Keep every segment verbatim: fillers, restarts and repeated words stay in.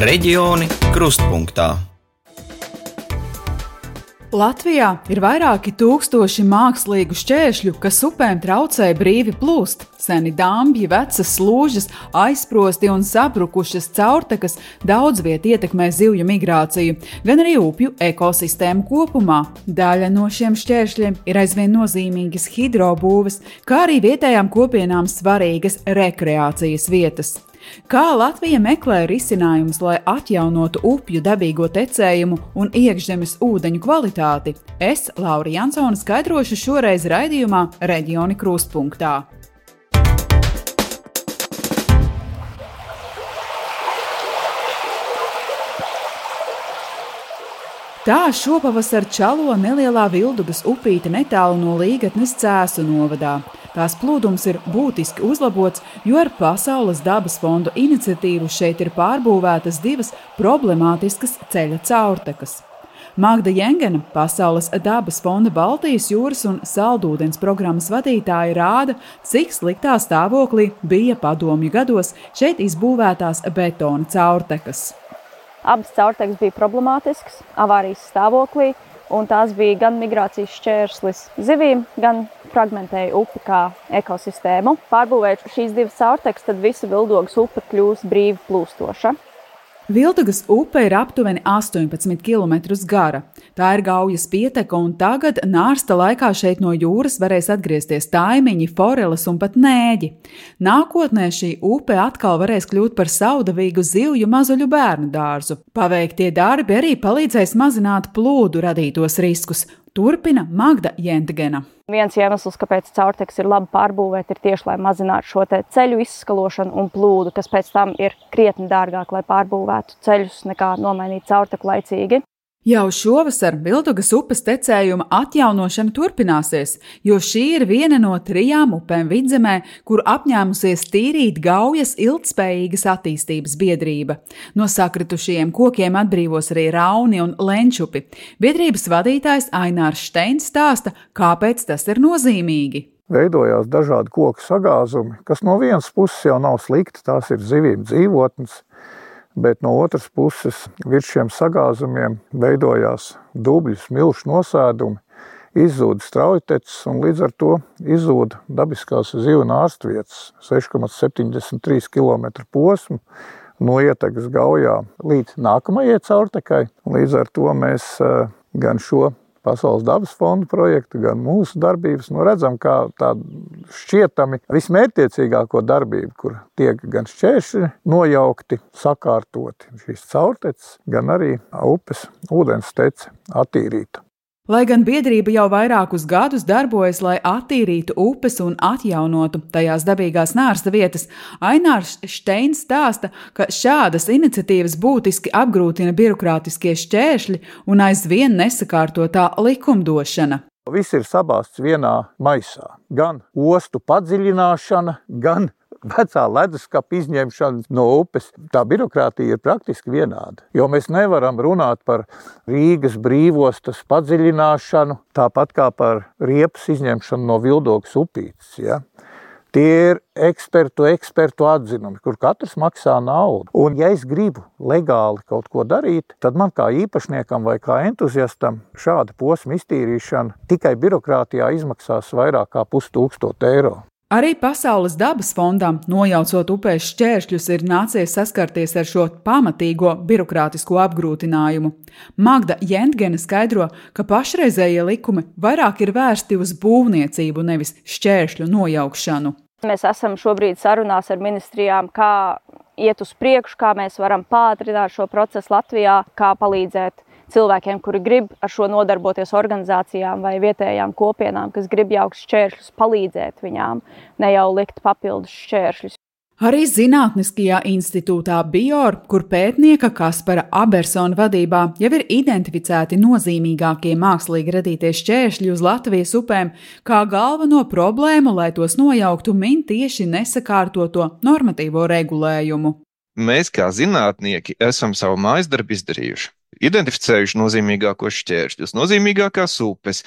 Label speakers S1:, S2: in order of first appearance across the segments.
S1: Reģioni krustpunktā.
S2: Latvijā ir vairāki tūkstoši mākslīgu šķēršļu, kas upēm traucē brīvi plūst. Seni dambji, vecas slūžas, aizsprosti un sabrukušas caurtekas daudz viet ietekmē zivju migrāciju, gan arī upju ekosistēmu kopumā. Daļa no šiem šķēršļiem ir aizvien nozīmīgas hidrobūves, kā arī vietējām kopienām svarīgas rekreācijas vietas. Kā Latvija meklē risinājumus, lai atjaunotu upju dabīgo tecējumu un iekšzemes ūdeņu kvalitāti? Es, Laura Jansone, skaidrošu šoreiz raidījumā Reģioni krustpunktā. Tā šopavasar čalo nelielā Vildugas upīte netālu no Līgatnes Cēsu novadā. Tās plūdums ir būtiski uzlabots, jo ar Pasaules dabas fondu iniciatīvu šeit ir pārbūvētas divas problemātiskas ceļa caurtekas. Magda Jengena, Pasaules dabas fonda Baltijas jūras un saldūdens programmas vadītāja, rāda, cik sliktā stāvoklī bija padomju gados šeit izbūvētās betona caurtekas.
S3: Abas caurtekas bija problemātiskas, avārijas stāvoklī, un tās bija gan migrācijas šķērslis zivīm, gan fragmentēja upi kā ekosistēmu. Pārbūvējot šīs divas caurtekas, tad visa Vildugas upe kļūs brīvi plūstoša.
S2: Vildugas upe ir aptuveni astoņpadsmit kilometrus gara. Tā ir Gaujas pieteka, un tagad nārsta laikā šeit no jūras varēs atgriezties taimiņi, foreles un pat nēģi. Nākotnē šī upe atkal varēs kļūt par saudavīgu zivju mazuļu bērnu dārzu. Paveiktie darbi arī palīdzēs mazināt plūdu radītos riskus. Turpina Magda Jengena.
S3: Viens iemesls, kāpēc caurtekas ir labi pārbūvēt, ir tieši, lai mazinātu šo te ceļu izskalošanu un plūdu, kas pēc tam ir krietni dārgāk, lai pārbūvētu ceļus, nekā nomainīt caurteku laicīgi.
S2: Jau šovasar Vildugas upes tecējuma atjaunošana turpināsies, jo šī ir viena no trijām upēm Vidzemē, kur apņēmusies tīrīt Gaujas ilgtspējīgas attīstības biedrība. No sakritušajiem kokiem atbrīvos arī Rauni un Lenčupi. Biedrības vadītājs Ainārs Šteins stāsta, kāpēc tas ir nozīmīgi.
S4: Veidojās dažādi koku sagāzumi, kas no vienas puses jau nav slikti, tās ir zivīm dzīvotnes, bet no otras puses virs šiem sagāzumiem veidojās dubļu smilšu nosēdumi, izzūda straujteces un līdz ar to izzūda dabiskās zivju nārstvietas seši komats septiņdesmit trīs kilometru posmu no ietekas Gaujā līdz nākamajai caurtekai. Līdz ar to mēs gan šo Pasaules dabas fonda projektu, gan mūsu darbības, nu redzam, kā tādu šķietami vismērķtiecīgāko darbību, kur tiek gan šķēršļi nojaukti, sakārtoti šīs caurteces, gan arī upes ūdens tece attīrīta.
S2: Lai gan biedrība jau vairākus gadus darbojas, lai attīrītu upes un atjaunotu tajās dabīgās nārsta vietas, Ainārs Šteins stāsta, ka šādas iniciatīvas būtiski apgrūtina birokrātiskie šķēršļi un aizvien nesakārtotā likumdošana.
S4: Viss ir sabāsts vienā maisā. Gan ostu padziļināšana, gan vecā leduskapa izņemšana no upes. Tā birokrātija ir praktiski vienāda, jo mēs nevaram runāt par Rīgas brīvostas padziļināšanu, tāpat kā par riepas izņemšanu no Vildugas upītes. Ja? Tie ir ekspertu, ekspertu atzinumi, kur katrs maksā naudu. Un ja es gribu legāli kaut ko darīt, tad man kā īpašniekam vai kā entuziastam šāda posma iztīrīšana tikai birokrātijā izmaksās vairāk kā pustūkstot eiro.
S2: Arī Pasaules dabas fondam, nojaucot upēs šķēršļus, ir nācies saskarties ar šo pamatīgo birokrātisko apgrūtinājumu. Magda Jengena skaidro, ka pašreizējie likumi vairāk ir vērsti uz būvniecību, nevis šķēršļu nojaukšanu.
S3: Mēs esam šobrīd sarunās ar ministrijām, kā iet uz priekšu, kā mēs varam pātrināt šo procesu Latvijā, kā palīdzēt cilvēkiem, kuri grib ar šo nodarboties, organizācijām vai vietējām kopienām, kas grib jaukt šķēršļus, palīdzēt viņām, ne jau likt papildus šķēršļus.
S2: Arī Zinātniskajā institūtā Bior, kur pētnieka Kaspara Abersona vadībā jau ir identificēti nozīmīgākie mākslīgi radītie šķēršļi uz Latvijas upēm, kā galveno problēmu, lai tos nojauktu, min tieši nesakārtoto normatīvo regulējumu.
S5: Mēs kā zinātnieki esam savu mājasdarbu izdarījuši. identificējuši nozīmīgākos šķēršļus, nozīmīgākās upes,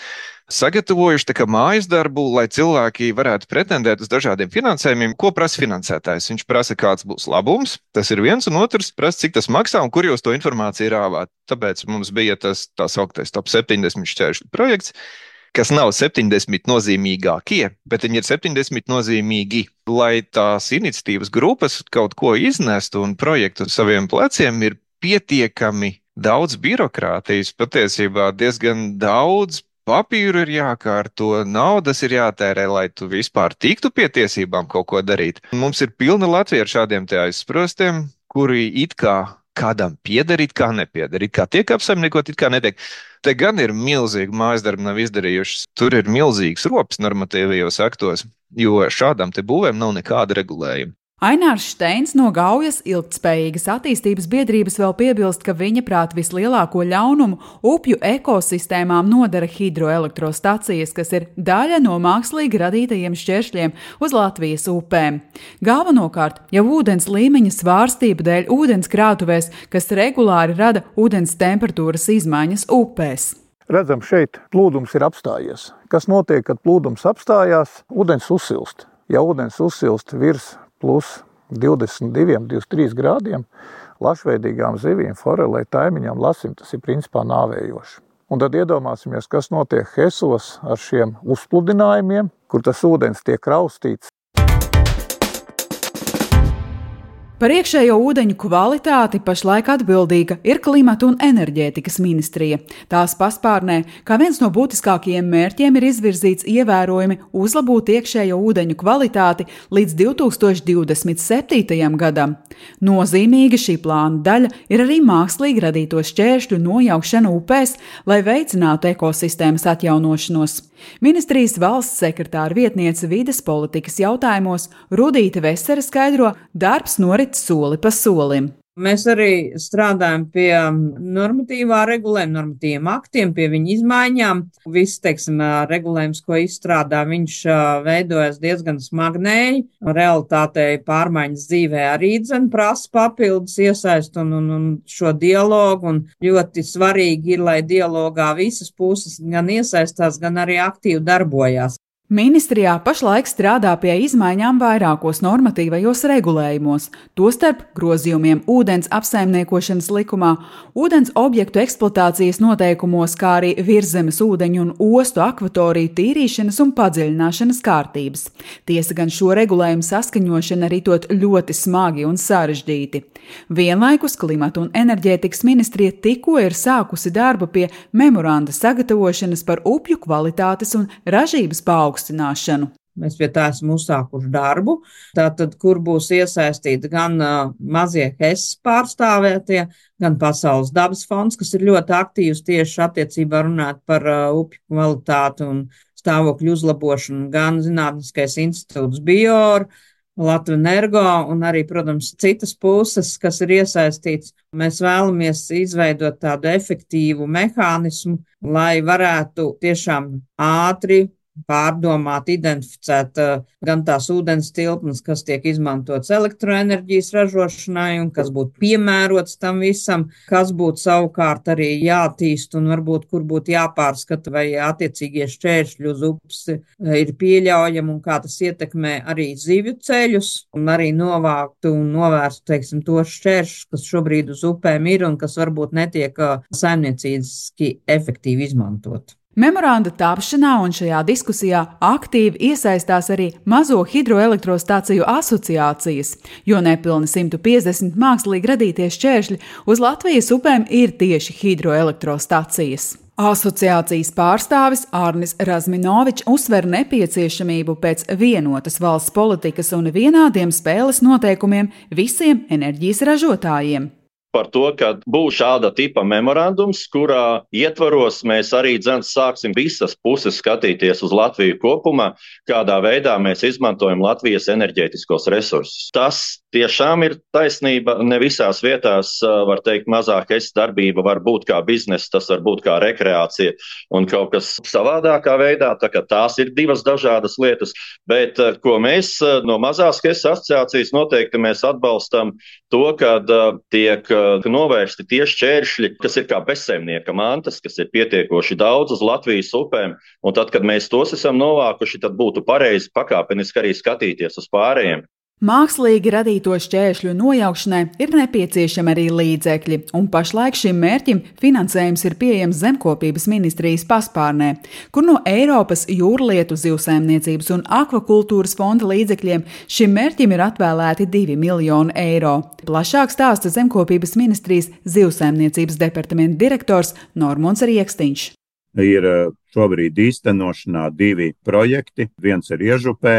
S5: sagatavojuši tā kā mājas darbu, lai cilvēki varētu pretendēt uz dažādiem finansējumiem. Ko prasa finansētājs? Viņš prasa, kāds būs labums, tas ir viens, un otrs prasa, cik tas maksā un kur jūs to informāciju rāvāt. Tāpēc mums bija tas tā sauktais top septiņdesmit šķēršļu projekts, kas nav septiņdesmit nozīmīgākie, bet viņi ir septiņdesmit nozīmīgi, lai tās iniciatīvas grupas kaut ko iznestu un projektu uz saviem pleciem ir pietiekami daudz birokrātijas, patiesībā diezgan daudz papīru ir jākārto, naudas ir jātērē, lai tu vispār tiktu pie tiesībām kaut ko darīt. Mums ir pilna Latvija ar šādiem te aizsprostiem, kuri it kā kādam pieder, it kā nepieder, it kā tiek apsaimniekot, it kā netiek. Te gan ir milzīgi mājas darbi nav izdarījušas, tur ir milzīgs rops normatīvajos aktos, jo šādām te būvēm nav nekāda regulējuma.
S2: Ainārs Šteins no Gaujas ilgtspējīgas attīstības biedrības vēl piebilst, ka viņa prāt vislielāko ļaunumu upju ekosistēmām nodara hidroelektrostacijas, kas ir daļa no mākslīgi radītajiem šķēršļiem uz Latvijas upēm. Galvenokārt jau ūdens līmeņa svārstība dēļ ūdens krātuvēs, kas regulāri rada ūdens temperatūras izmaiņas upēs.
S4: Redzam, šeit plūdums ir apstājies. Kas notiek, kad plūdums apstājās? Ūdens uzsilst. Ja ūdens uzsilst virs plus divdesmit divi, divdesmit trīs grādiem, lašveidīgām zivīm, forelē, taimiņām, lasim, tas ir principā nāvējoši. Un tad iedomāsimies, kas notiek Hesos ar šiem uzpludinājumiem, kur tas ūdens tiek raustīts.
S2: Par iekšējo ūdeņu kvalitāti pašlaik atbildīga ir Klimata un enerģētikas ministrija. Tās paspārnē, kā viens no būtiskākajiem mērķiem, ir izvirzīts ievērojami uzlabot iekšējo ūdeņu kvalitāti līdz divi tūkstoši divdesmit septītajam gadam. Nozīmīga šī plāna daļa ir arī mākslīgi radīto šķēršļu nojaukšana upēs, lai veicinātu ekosistēmas atjaunošanos. Ministrijas valsts sekretāra vietniece vides politikas jautājumos Rudīte Vesere skaidro, darbs norit soli pa solim.
S6: Mēs arī strādājam pie normatīvā regulējuma, normatīviem aktiem, pie viņa izmaiņām. Viss, teiksim, regulējums, ko izstrādā, viņš veidojas diezgan smagnēji. Realitātei pārmaiņas dzīvē arī dzen prasa papildus iesaist un, un, un šo dialogu. Un ļoti svarīgi ir, lai dialogā visas puses gan iesaistās, gan arī aktīvi darbojās.
S2: Ministrijā pašlaik strādā pie izmaiņām vairākos normatīvajos regulējumos, tostarp grozījumiem ūdens apsaimniekošanas likumā, ūdens objektu eksploatācijas noteikumos, kā arī virszemes ūdeņu un ostu akvatoriju tīrīšanas un padziļināšanas kārtības. Tiesa gan šo regulējumu saskaņošana arī tot ļoti smagi un sarežģīti. Vienlaikus Klimata un enerģētikas ministrija tikko ir sākusi darbu pie memoranda sagatavošanas par upju kvalitātes un ražības paaugstināšanu.
S6: Mēs pie tā esam uzsākuši darbu, tātad, kur būs iesaistīti gan uh, mazie Hesas pārstāvētie, gan Pasaules dabas fonds, kas ir ļoti aktīvs tieši attiecībā runāt par uh, upju kvalitāti un stāvokļu uzlabošanu, gan Zinātniskais institūts Bior, Latvijas Energo un arī, protams, citas puses, kas ir iesaistīts. Mēs vēlamies izveidot tādu efektīvu mehānismu, lai varētu tiešām ātri pārdomāt, identificēt uh, gan tās ūdens tilpnes, kas tiek izmantots elektroenerģijas ražošanai un kas būtu piemērots tam visam, kas būtu savukārt arī jātīst un varbūt kur būtu jāpārskata, vai attiecīgie šķēršļi uz upes uh, ir pieļaujami un kā tas ietekmē arī zivju ceļus un arī novāktu un novērstu, teiksim, tos šķēršļus, kas šobrīd uz upēm ir un kas varbūt netiek uh, saimniecīski efektīvi izmantot.
S2: Memoranda tapšanā un šajā diskusijā aktīvi iesaistās arī mazo hidroelektrostaciju asociācijas, jo nepilni simt piecdesmit mākslīgi radītie šķēršļi uz Latvijas upēm ir tieši hidroelektrostacijas. Asociācijas pārstāvis Ārnis Razminovičs uzsver nepieciešamību pēc vienotas valsts politikas un vienādiem spēles noteikumiem visiem enerģijas ražotājiem.
S7: Par to, ka būs šāda tipa memorandums, kurā ietvaros mēs arī dzens sāksim visas puses skatīties uz Latviju kopumā, kādā veidā mēs izmantojam Latvijas enerģētiskos resursus. Tas tiešām ir taisnība, ne visās vietās, var teikt, mazāk es darbība var būt kā biznesa, tas var būt kā rekreācija un kaut kas savādākā veidā, tā kā tās ir divas dažādas lietas, bet ko mēs no mazās es asociācijas noteikti mēs atbalstam to, kad tiek novērsti tie šķēršļi, kas ir kā bezsaimnieka mantas, kas ir pietiekoši daudz uz Latvijas upēm, un tad, kad mēs tos esam novākuši, tad būtu pareizi pakāpeniski arī skatīties uz pārējiem.
S2: Mākslīgi radīto šķēršļu nojaukšanai ir nepieciešami arī līdzekļi, un pašlaik šim mērķim finansējums ir pieejams Zemkopības ministrijas paspārnē, kur no Eiropas jūrlietu, zivsaimniecības un akvakultūras fonda līdzekļiem šim mērķim ir atvēlēti divi miljoni eiro. Plašāk stāsta Zemkopības ministrijas zivsaimniecības departamenta direktors Normons Riekstiņš.
S8: Ir šobrīd īstenošanā divi projekti. Viens ir Iežupē,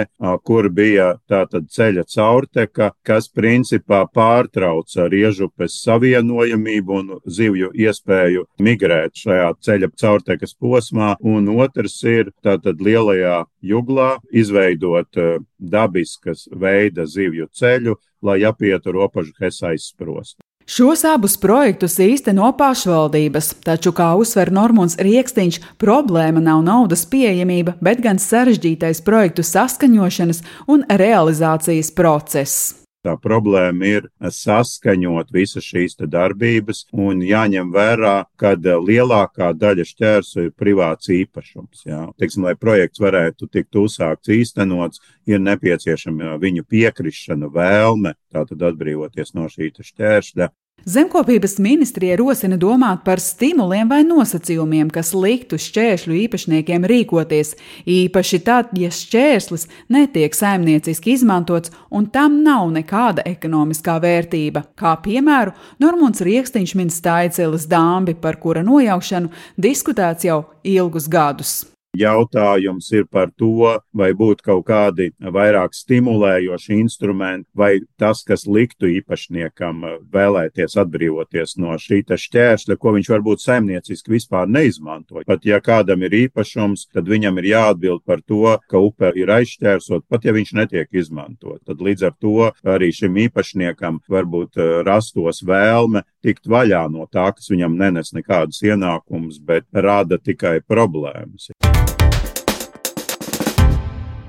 S8: kur bija tātad ceļa caurteka, kas principā pārtrauca ar Iežupes savienojamību un zivju iespēju migrēt šajā ceļa caurtekas posmā. Un otrs ir tātad Lielajā Juglā izveidot dabiskas veida zivju ceļu, lai apietu robežu Hesa aizsprostu.
S2: Šos abus projektus īsteno pašvaldības, taču, kā uzsver Normons Riekstiņš, problēma nav naudas pieejamība, bet gan sarežģītais projektu saskaņošanas un realizācijas process.
S8: Tā problēma ir saskaņot visas šīs darbības un jāņem vērā, ka lielākā daļa šķērsu ir privāts īpašums. Jā. Teiksim, lai projekts varētu tikt uzsākts īstenots, ir nepieciešama viņu piekrišana, vēlme, tātad atbrīvoties no šī šķēršļa.
S2: Zemkopības ministrija rosina domāt par stimuliem vai nosacījumiem, kas liktu šķēršļu īpašniekiem rīkoties, īpaši tad, ja šķērslis netiek saimnieciski izmantots un tam nav nekāda ekonomiskā vērtība. Kā piemēru, Normons Riekstiņš min Staicēles dambi, par kura nojaukšanu diskutēts jau ilgus gadus.
S8: Jautājums ir par to, vai būtu kaut kādi vairāk stimulējoši instrumenti, vai tas, kas liktu īpašniekam vēlēties atbrīvoties no šī šķēršļa, ko viņš varbūt saimnieciski vispār neizmanto. Pat ja kādam ir īpašums, tad viņam ir jāatbild par to, ka upe ir aizšķērsot, pat ja viņš netiek izmantot. Tad līdz ar to arī šim īpašniekam varbūt rastos vēlme tikt vaļā no tā, kas viņam nenes nekādas ienākumus, bet rada tikai problēmas.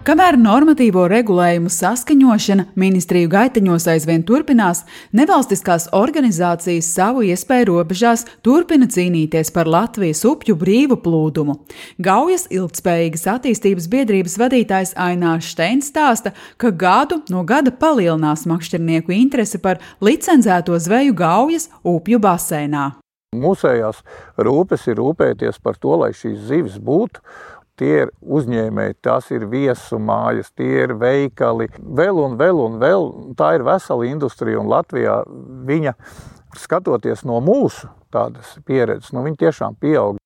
S2: Kamēr normatīvo regulējumu saskaņošana ministriju gaiteņos aizvien turpinās, nevalstiskās organizācijas savu iespēju robežās turpina cīnīties par Latvijas upju brīvu plūdumu. Gaujas ilgtspējīgas attīstības biedrības vadītājs Ainārs Šteins stāsta, ka gadu no gada palielinās makšķernieku interese par licencēto zveju Gaujas upju baseinā.
S4: Mūsējās rūpes ir rūpēties par to, lai šīs zivis būtu. Tie ir uzņēmēji, tās ir viesu mājas, tie ir veikali, vēl un vēl un vēl. Tā ir vesela industrija, un Latvijā viņa, skatoties no mūsu tādas pieredzes, nu viņa tiešām pieaug.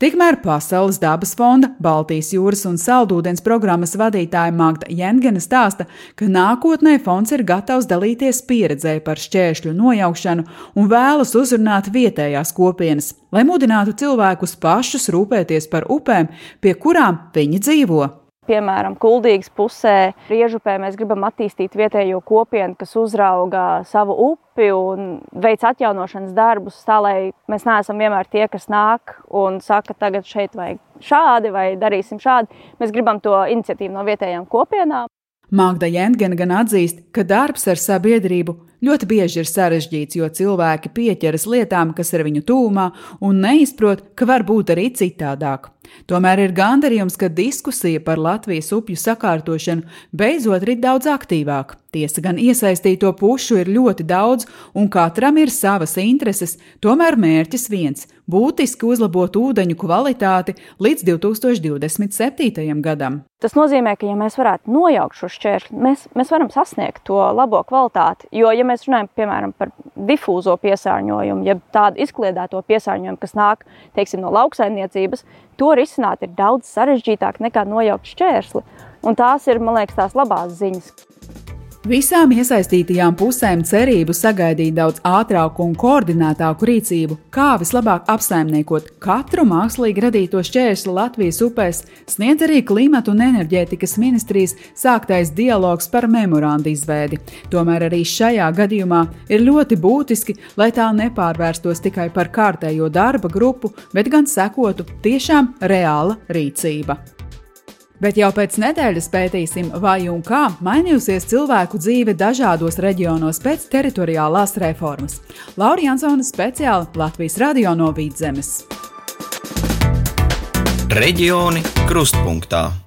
S2: Tikmēr Pasaules dabas fonda, Baltijas jūras un saldūdens programmas vadītāja Magda Jengene stāsta, ka nākotnē fonds ir gatavs dalīties pieredzē par šķēršļu nojaukšanu un vēlas uzrunāt vietējās kopienas, lai mudinātu cilvēkus pašus rūpēties par upēm, pie kurām viņi dzīvo.
S3: Piemēram, Kuldīgas pusē, Riežupē mēs gribam attīstīt vietējo kopienu, kas uzrauga savu upi un veic atjaunošanas darbus, tā lai mēs neesam vienmēr tie, kas nāk un saka, tagad šeit vajag šādi vai darīsim šādi. Mēs gribam to iniciatīvu no vietējām kopienām.
S2: Magda Jengene gan atzīst, ka darbs ar sabiedrību ļoti bieži ir sarežģīts, jo cilvēki pieķeras lietām, kas ir viņu tūmā, un neizprot, ka var būt arī citādāk. Tomēr ir gandarījums, ka diskusija par Latvijas upju sakārtošanu beidzot rit daudz aktīvāk. Tiesa gan iesaistīto pušu ir ļoti daudz, un katram ir savas intereses, tomēr mērķis viens – būtiski uzlabot ūdeņu kvalitāti līdz divi tūkstoši divdesmit septītajam gadam.
S3: Tas nozīmē, ka ja mēs varētu nojaukt šo šķēršļu, mēs, mēs varam sasniegt to labo kvalitāti, jo ja mēs runājam, piemēram, par difūzo piesārņojumu, ja tādu izkliedēto piesārņojumu, kas nāk, teiksim, no lauksaimniecības, to risināt ir daudz sarežģītāk nekā nojaukt šķērsli. Un tās ir, man liekas, tās labās ziņas.
S2: Visām iesaistītajām pusēm cerību sagaidīt daudz ātrāku un koordinētāku rīcību, kā vislabāk apsaimniekot katru mākslīgi radīto šķērsli Latvijas upēs, sniedz arī Klimata un enerģētikas ministrijas sāktais dialogs par memorandu izveidi. Tomēr arī šajā gadījumā ir ļoti būtiski, lai tā nepārvērstos tikai par kārtējo darba grupu, bet gan sekotu tiešām reāla rīcība. Bet jau pēc nedēļas pētīsim, vai un kā mainījusies cilvēku dzīve dažādos reģionos pēc teritoriālās reformas. Laura Jansone speciāli Latvijas radio no Vidzemes.
S1: Reģioni krustpunktā.